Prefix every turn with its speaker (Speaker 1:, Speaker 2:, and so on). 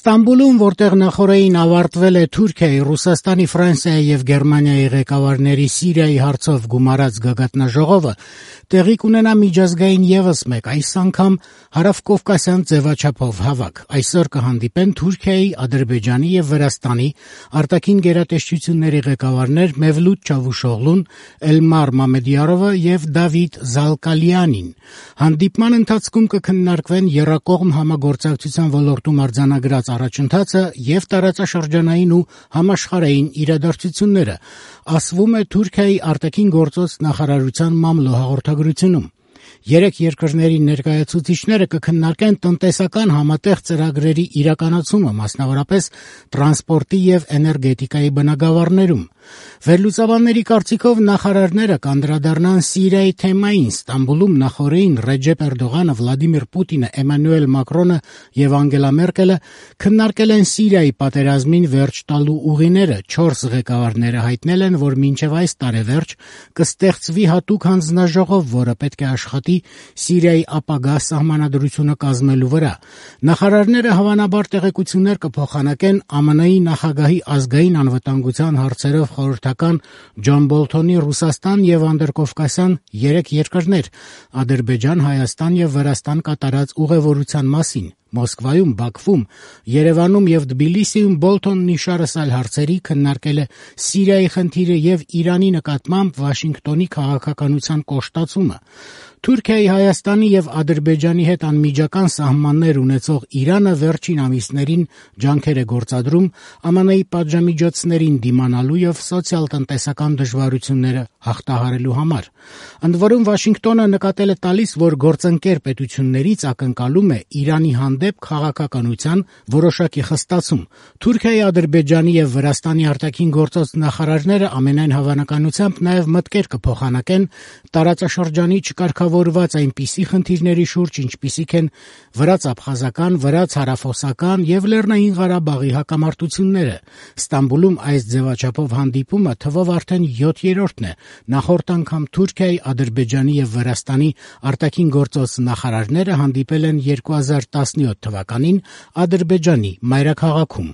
Speaker 1: Ստամբուլում, որտեղ նախօրեին ավարտվել է Թուրքիայի, Ռուսաստանի, Ֆրանսիայի եւ Գերմանիայի ղեկավարների Սիրիայի հարցով գումարած գագաթնաժողովը, տեղի կունենա միջազգային եւս մեկ, այս անգամ հարավկովկասյան ձևաչափով հավաք։ Այսօր կհանդիպեն Թուրքիայի, Ադրբեջանի եւ Վրաստանի արտաքին գերատեսչությունների ղեկավարներ Մևլութ Չավուշօղլուն, Էլմար Մամեդյարովը եւ Դավիթ Զալկալյանին։ Հանդիպման ընթացքում կքննարկվեն եռակողմ համագործակցության ոլորտում արձանագրած առաջընթացը եւ տարածաշրջանային ու համաշխարհային իրադարձությունները, ասվում է Թուրքիայի արտաքին գործոց նախարարության մամլո հաղորդագրությունում։ Երեք երկրների ներկայացուցիչները կքննարկեն տնտեսական համատեղ ծրագրերի իրականացումը, մասնավորապես տրանսպորտի եւ էներգետիկայի բնագավառներում։ Վերլուծաբանների կարծիքով նախարարները կանդրադառնան Սիրիայի թեմային։ Ստամբուլում նախօրեին Ռեջեփ Էրդողանը, Վլադիմիր Պուտինը, Էմանուել Մակրոնը եւ Անգելա Մերկելը քննարկել են Սիրիայի պատերազմին վերջ տալու ուղիները։ 4 ղեկավարները հայտնել են, որ մինչեւ այս տարեվերջ կստեղծվի հատուկ հանձնաժողով, որը պետք է աշխատի Սիրիայի ապագա սահմանադրությունը կազմելու վրա։ Նախարարները հավանաբար տեղեկություններ կփոխանակեն ԱՄՆ-ի նախագահի ազգային անվտանգության հարցերով խորհրդական Ջոն Բոլթոնի Ռուսաստան եւ Անդրկովկասյան 3 երկրներ՝ Ադրբեջան, Հայաստան եւ Վրաստան կատարած ուղևորության մասին։ Մոսկվայում, Բաքվում, Երևանում եւ Թբիլիսիում Բոլթոնն իշարս այլ հարցերի քննարկել է Սիրիայի խնդիրը եւ Իրանի նկատմամբ Վաշինգտոնի քաղաքականության կոշտացումը։ Թուրքիայի, Հայաստանի եւ Ադրբեջանի հետ անմիջական սահմաններ ունեցող Իրանը վերջին ամիսներին ջանքեր է գործադրում ԱՄՆ-ի պատժամիջոցներին դիմանալու եւ սոցիալ-տնտեսական դժվարությունները հաղթահարելու համար։ Ընդ որում Վաշինգտոնը նկատել է տալիս, որ գործընկեր պետություններից ակնկալում է Իրանի հանդեպ քաղաքականության որոշակի խստացում։ Թուրքիայի, Ադրբեջանի եւ Վրաստանի արտաքին գործոց նախարարները ամենայն հավանականությամբ նաեւ մտքեր կփոխանակեն տարածաշրջանի չկարգավորված այնպիսի խնդիրների շուրջ, ինչպիսիք են վրաց-աբխազական, վրաց-հարավօսական եւ Լեռնային Ղարաբաղի հակամարտությունները։ Ստամբուլում այս ձևաչափով հանդիպումը թվով արդեն 7-րդն է։ Նախորդ անգամ Թուրքիայի, Ադրբեջանի եւ Վրաստանի արտաքին գործոց նախարարները հանդիպել են 2017 թվականին Ադրբեջանի մայրաքաղաքում։